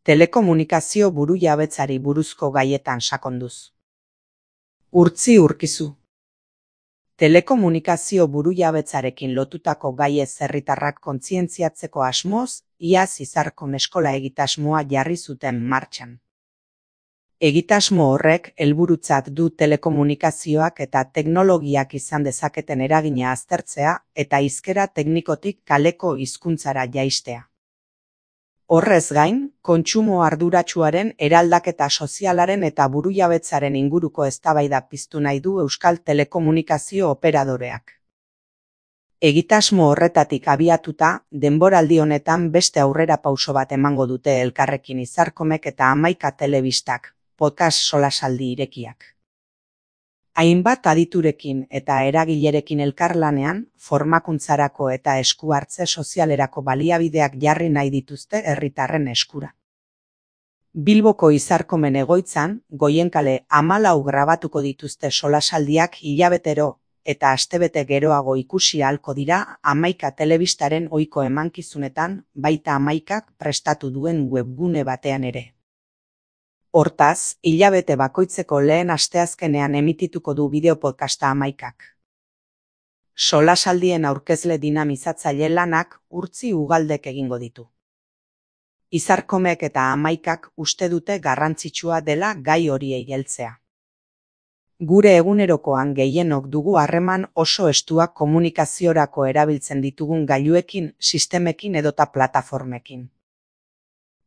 Telekomunikazio burujabetzari buruzko gaietan sakonduz. Urtzi Urkizu. Telekomunikazio burujabetzarekin lotutako gaiez herritarrak kontzientziatzeko asmoz, iaz Izarkon eskola egitasmoa jarri zuten martxan. Egitasmo horrek helburutzat du telekomunikazioak eta teknologiak izan dezaketen eragina aztertzea eta hizkera teknikotik kaleko hizkuntzara jaistea. Horrez gain, kontsumo arduratsuaren, eraldaketa sozialaren eta burujabetzaren inguruko eztabaida piztu nahi du euskal telekomunikazio operadoreak. Egitasmo horretatik abiatuta, denboraldi honetan beste aurrerapauso bat emango dute elkarrekin Izarkomek eta 11 telebistak, podcast solasaldi irekiak. Hainbat aditurekin eta eragilerekin elkarlanean, formakuntzarako eta esku-hartze sozialerako baliabideak jarri nahi dituzte herritarren eskura. Bilboko Izarkomen egoitzan, Goienkale 14 grabatuko dituzte solasaldiak hilabetero eta astebete geroago ikusi ahalko dira 11 telebistaren ohiko emankizunetan, baita 11k prestatu duen webgune batean ere. Hortaz, hilabete bakoitzeko lehen asteazkenean emitituko du bideopodcasta 11kak. Solasaldien aurkezle dinamizatzaile lanak Urtzi Ugaldek egingo ditu. Izarkomek eta 11kak uste dute garrantzitsua dela gai horiei heltzea. Gure egunerokoan gehienok dugu harreman oso estuak komunikaziorako erabiltzen ditugun gailuekin, sistemekin edota plataformekin.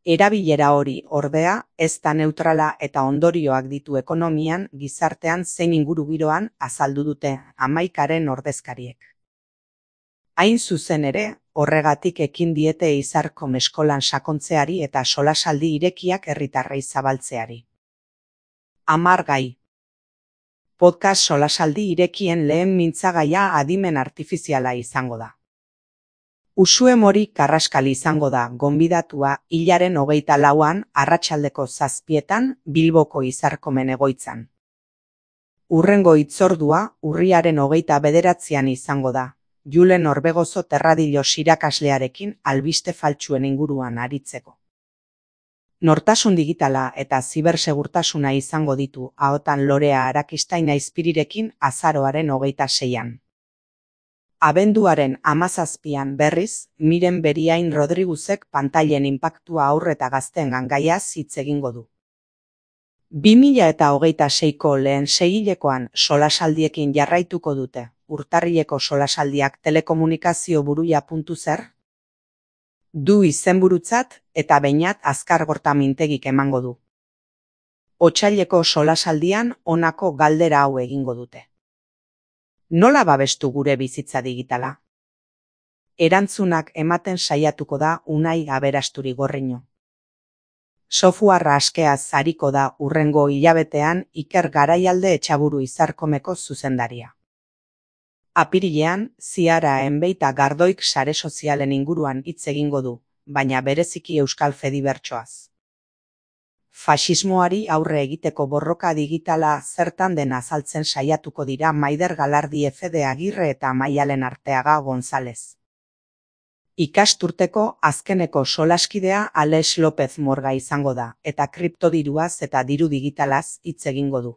Erabilera hori, ordea, ez da neutrala eta ondorioak ditu ekonomian, gizartean zein ingurugiroan azaldu dute 11karen ordezkariek. Hain zuzen ere, horregatik ekin diete Izarkom eskolan sakontzeari eta solasaldi irekiak herritarrei zabaltzeari. 10 gai. Podcast solasaldi irekien lehen mintzagaia adimen artifiziala izango da. Uxue Mori Karraskali izango da gonbidatua hilaren 24an arratsaldeko 7etan Bilboko Izarkomen egoitzan. Hurrengo hitzordua urriaren 29an izango da, Julen Orbegozo Terradillos irakaslearekin albiste faltsuen inguruan aritzeko. Nortasun digitala eta zibersegurtasuna izango ditu ahotan Lorea Arakistain Aizpirirekin azaroaren 26an. Abenduaren 17an berriz, Miren Beriain Rodriguzek pantailen inpaktua haur eta gazteengan gaiaz hitz egingo du. 2026ko lehen seihilekoan solasaldiekin jarraituko dute, urtarrileko solasaldiak telekomunikazio buruia.zer du izenburutzat eta Beñat Azkargorta Mintegik emango du. Otsaileko solasaldian honako galdera hau egingo dute. Nola babestu gure bizitza digitala? Erantzunak ematen saiatuko da Unai Aberasturi Gorriño. Softwarea askeaz ariko da hurrengo hilabetean Iker Garaialde Etxaburu Izarkomeko zuzendaria. Apirilean, Ziara Enbeita Gardoik sare sozialen inguruan hitz egingo du, baina bereziki Euskal Fedibertsoaz. Faxismoari aurre egiteko borroka digitala zertan den azaltzen saiatuko dira Maider Galardi Fede Agirre eta Maialen Arteaga González. Ikasturteko azkeneko solaskidea Alex López Morga izango da, eta kriptodiruaz eta diru digitalaz hitz egingo du.